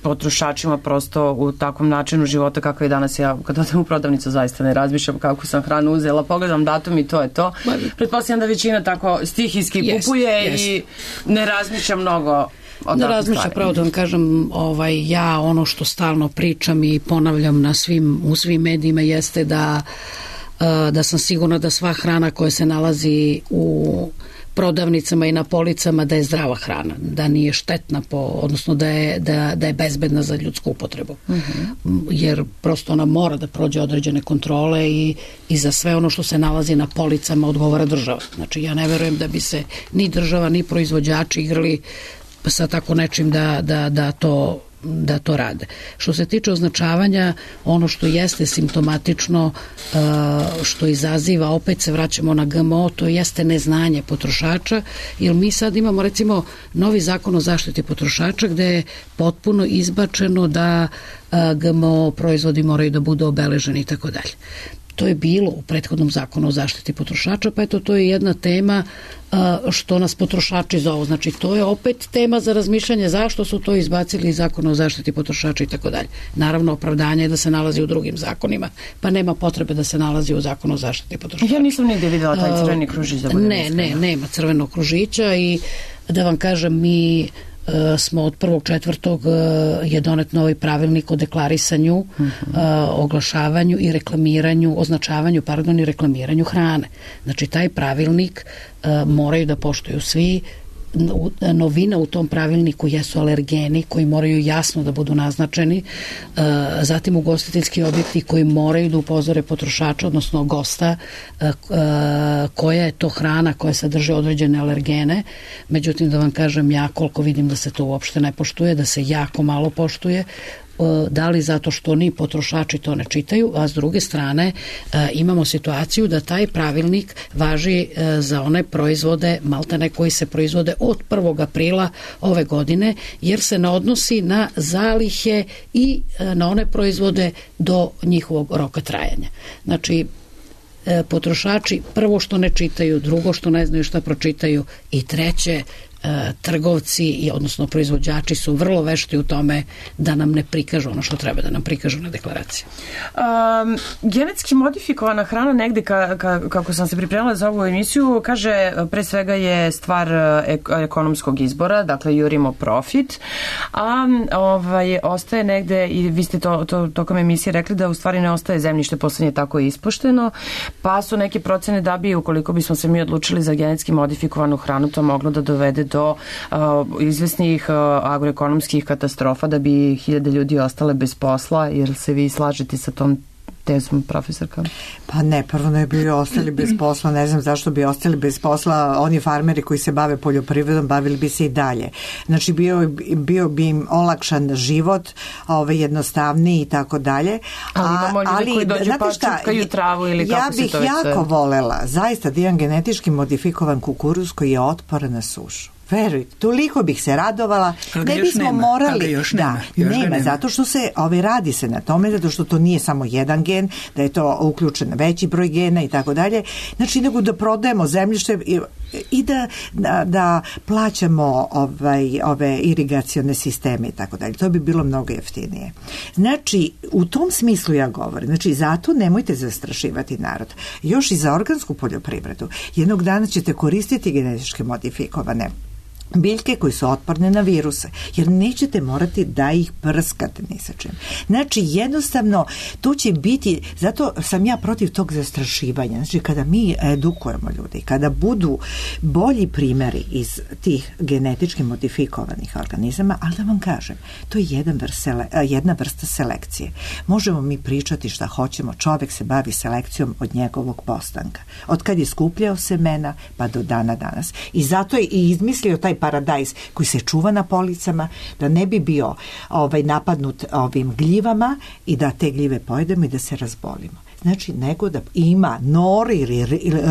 potrošačima prosto u takvom načinu života kako je danas, ja kad odem u prodavnicu zaista ne razmišljam kako sam hranu uzela, pogledam datum i to je to. Pretpostavljam da većina tako stihijski kupuje i ne razmišlja mnogo Da razmišlja, pravo da vam kažem, ja ono što stalno pričam i ponavljam u svim medijima jeste da sam sigurna da sva hrana koja se nalazi u prodavnicama i na policama da je zdrava hrana, da nije štetna, odnosno da je bezbedna za ljudsku upotrebu. Jer prosto ona mora da prođe određene kontrole i za sve ono što se nalazi na policama odgovara država. Znači ja ne verujem da bi se ni država ni proizvođači igrali sa tako nečim da to rade. Što se tiče označavanja, ono što jeste simptomatično, što izaziva, opet se vraćamo na GMO, to jeste neznanje potrošača, jer mi sad imamo recimo novi zakon o zaštiti potrošača gde je potpuno izbačeno da GMO proizvodi moraju da budu obeleženi i tako dalje. To je bilo u prethodnom zakonu o zaštiti potrošača, pa eto to je jedna tema što nas potrošači zovu. Znači to je opet tema za razmišljanje zašto su to izbacili iz zakona o zaštiti potrošača i tako dalje. Naravno, opravdanje je da se nalazi u drugim zakonima, pa nema potrebe da se nalazi u zakonu o zaštiti potrošača. Ja nisam nigde videla taj crveni kružić. Nema crvenog kružića i da vam kažem, mi smo od 1.4. je donet novi pravilnik o deklarisanju, oglašavanju i reklamiranju, označavanju, i reklamiranju hrane. Znači taj pravilnik moraju da poštuju svi. Novina u tom pravilniku jesu alergeni koji moraju jasno da budu naznačeni, zatim ugostiteljski objekti koji moraju da upozore potrošača, odnosno gosta, koja je to hrana koja sadrži određene alergene. Međutim, da vam kažem, ja koliko vidim da se to uopšte ne poštuje, da se jako malo poštuje, da li zato što ni potrošači to ne čitaju, a s druge strane imamo situaciju da taj pravilnik važi za one proizvode, maltene koji se proizvode od 1. aprila ove godine, jer se ne odnosi na zalihe i na one proizvode do njihovog roka trajanja. Znači, potrošači prvo što ne čitaju, drugo što ne znaju šta pročitaju i treće, trgovci, odnosno proizvođači su vrlo vešti u tome da nam ne prikažu ono što treba da nam prikažu na deklaraciji. Genetski modifikovana hrana negde, kako sam se pripremila za ovu emisiju, kaže, pre svega je stvar ekonomskog izbora, dakle jurimo profit, a ostaje negde, i vi ste to tokom emisije rekli da u stvari ne ostaje zemljište, poslednje tako ispušteno, pa su neke procene da bi, ukoliko bismo se mi odlučili za genetski modifikovanu hranu, to moglo da dovede do izvesnih agroekonomskih katastrofa, da bi 1000 ljudi ostale bez posla. Jer se vi slažete sa tom tezom, profesorka? Pa ne, prvo ne bi ostali bez posla, ne znam zašto bi ostali bez posla. Oni farmeri koji se bave poljoprivredom bavili bi se i dalje. Znači bio bi im olakšan život, jednostavniji i tako dalje. Ali imamo ljudi koji dođu pa čupkaju travu ili kako se to već... Ja bih jako volela zaista da imam genetički modifikovan kukuruz koji je otporan na sušu. Verujte, toliko bih se radovala. Ne bismo morali, nema, zato što se radi se na tome, zato što to nije samo jedan gen, da je to uključen veći broj gena i tako dalje. Znači, nego da prodajemo zemljište i da plaćamo ove irigacione sisteme i tako dalje. To bi bilo mnogo jeftinije. Znači, u tom smislu ja govorim. Znači, zato nemojte zastrašivati narod. Još i za organsku poljoprivredu. Jednog dana ćete koristiti genetički modifikovane biljke koji su otporne na viruse, jer nećete morati da ih prskate ni sa čim. Znači, jednostavno, tu će biti, zato sam ja protiv tog zastrašivanja. Znači, kada mi edukujemo ljudi, kada budu bolji primjeri iz tih genetički modifikovanih organizama, ali da vam kažem, to je jedna vrsta selekcije. Možemo mi pričati šta hoćemo, čovjek se bavi selekcijom od njegovog postanka. Od kad je skupljao semena, pa do dana danas. I zato je i izmislio taj paradajz koji se čuva na policama, da ne bi bio napadnut ovim gljivama i da te gljive pojedemo i da se razbolimo. Znači, nego da ima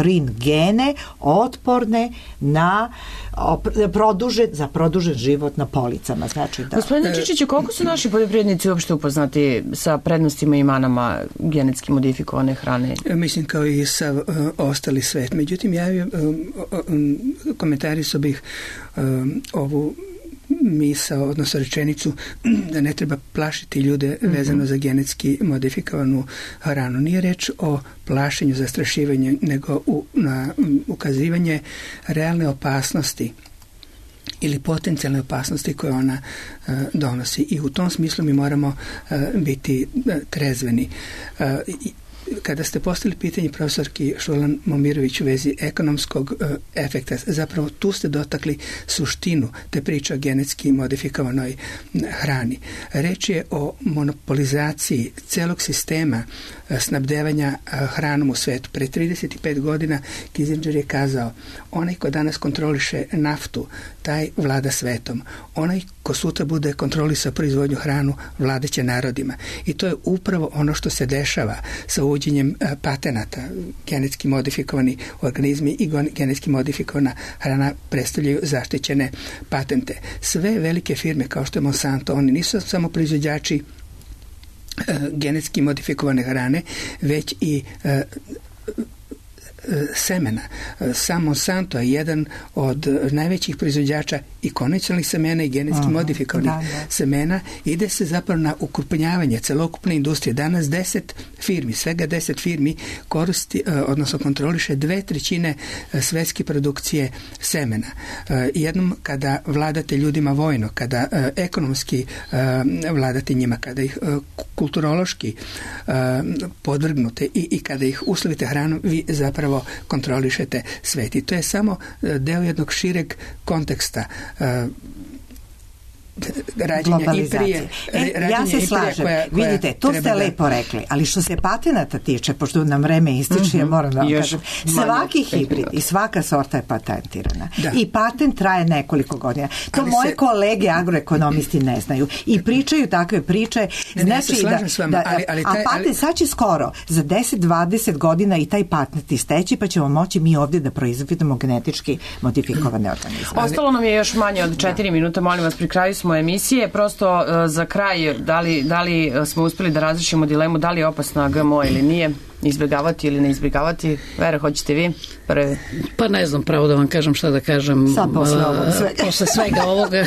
rin gene otporne na za produžen život na policama. Znači, da. Gospodine Čičiću, koliko su naši poljoprivrednici uopšte upoznati sa prednostima i manama genetski modifikovane hrane? Mislim kao i sa ostali svet. Međutim, komentarisao bih ovu misao, odnosno rečenicu da ne treba plašiti ljude vezano za genetski modifikovanu hranu. Nije reč o plašenju, zastrašivanju, nego na ukazivanje realne opasnosti ili potencijalne opasnosti koje ona donosi. I u tom smislu mi moramo biti trezveni. Kada ste postavili pitanje profesorki Šurlan Momirović u vezi ekonomskog efekta, zapravo tu ste dotakli suštinu te priče o genetski modifikovanoj hrani. Reč je o monopolizaciji celog sistema snabdevanja hranom u svetu. Pre 35 godina Kissinger je kazao, onaj ko danas kontroliše naftu, taj vlada svetom. Onaj ko sutra bude kontrolisao proizvodnju hranu, vladaće narodima. I to je upravo ono što se dešava sa uvođenjem patenata. Genetski modifikovani organizmi i genetski modifikovana hrana predstavljaju zaštićene patente. Sve velike firme kao što je Monsanto, oni nisu samo proizvođači genetski modifikovane hrane, već i semena. Sam Monsanto je jedan od najvećih proizvođača i konvencionalnih semena i genetski modifikovanih semena. Ide se zapravo na ukrupnjavanje celokupne industrije. Danas 10 firmi, svega 10 firmi koristi, odnosno kontroliše 2/3 svetske produkcije semena. Jednom kada vladate ljudima vojno, kada ekonomski vladate njima, kada ih kulturološki podvrgnute i kada ih uslovite hranom, vi zapravo kontrolišete svet. I to je samo deo jednog šireg konteksta rađenja imperije. Ja se slažem. Vidite, to ste lepo rekli, ali što se patenata tiče, pošto nam vreme ističe, ja moram da vam kažem, svaki hibrid i svaka sorta je patentirana. I patent traje nekoliko godina. To moje kolege agroekonomisti ne znaju. I pričaju takve priče. Znači a patent sad će skoro, za 10-20 godina i taj patent isteći, pa ćemo moći mi ovdje da proizvodimo genetički modifikovane organizme. Ostalo nam je još manje od 4 minuta, molim vas, pri kraju smo emisije. Prosto za kraj, da li smo uspjeli da razlišimo dilemu da li je opasna GMO ili nije, izbjegavati ili ne izbjegavati? Vera, hoćete vi? Pa ne znam pravo da vam kažem šta da kažem posle svega ovoga,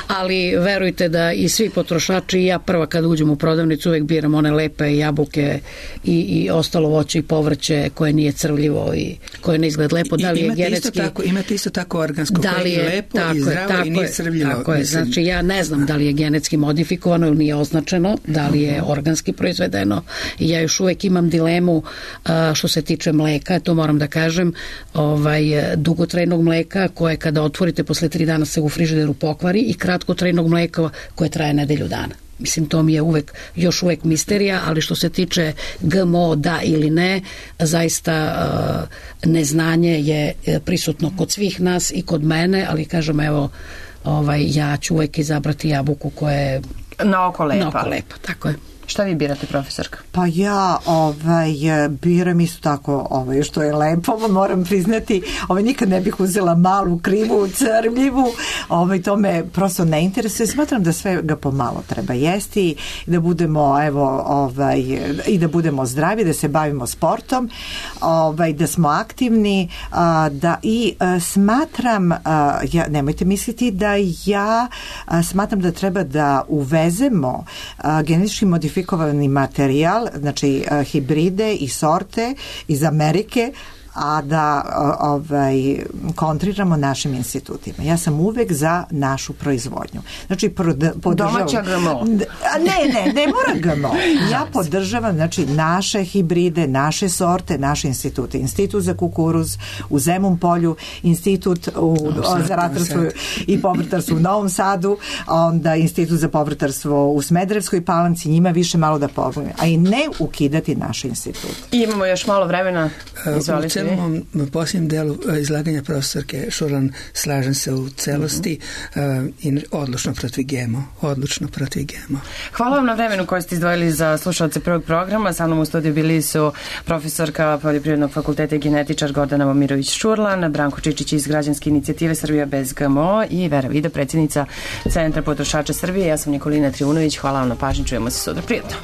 ali verujte da i svi potrošači, i ja prva kad uđem u prodavnicu uvek biram one lepe jabuke i ostalo voće i povrće koje nije crvljivo i koje ne izgleda lepo. Da li je genetski... Imate isto tako organsko koje je lepo i zdravo i nije crvljivo. Tako je, znači ja ne znam da li je genetski modifikovano ili nije označeno, da li je organski proizvedeno, i ja još uvek imam dilemu što se tiče mleka, to moram da kažem, dugotrajnog mleka koje kada otvorite posle 3 dana se u frižideru pokvari, i kratkotrajnog mleka koje traje nedelju dana. Mislim, to mi je još uvek misterija, ali što se tiče GMO da ili ne, zaista neznanje je prisutno kod svih nas i kod mene, ali kažem, evo, ja ću uvek izabrati jabuku koja je na oko lepa. Na oko lepa, tako je. Šta vi birate, profesorka? Pa ja biram isto tako što je lepo, moram priznati, nikad ne bih uzela malu, krivu, crvljivu, to me prosto ne interesuje. Smatram da sve ga pomalo treba jesti, da budemo i da budemo zdravi, da se bavimo sportom, da smo aktivni, smatram, nemojte misliti da ja smatram da treba da uvezemo genetički modifikovani materijal, znači hibride i sorte iz Amerike, a da kontriramo našim institutima. Ja sam uvek za našu proizvodnju. Znači, domaća GMO. Ne mora GMO. Ja podržavam, znači, naše hibride, naše sorte, naše institute. Institut za kukuruz u Zemun Polju, institut za ratarstvo i povrtarstvo u Novom Sadu, onda institut za povrtarstvo u Smederevskoj Palanci, njima više malo da pomogne, a i ne ukidati naše institute. I imamo još malo vremena. Izvolite. U posljednjem delu izlaganja profesorke Šurlan slažem se u celosti i odlučno protiv GMO. Hvala vam na vremenu koje ste izdvojili za slušalce prvog programa. Sa mnom u studiju bili su profesorka Poljoprivrednog fakulteta i genetičar Gordana Momirović Šurlan, Branko Čičić iz Građanske inicijative Srbija bez GMO i Vera Vida, predsjednica Centra potrošača Srbije. Ja sam Nikolina Trivunović. Hvala vam na pažnji. Čujemo se sutra. Prijatno.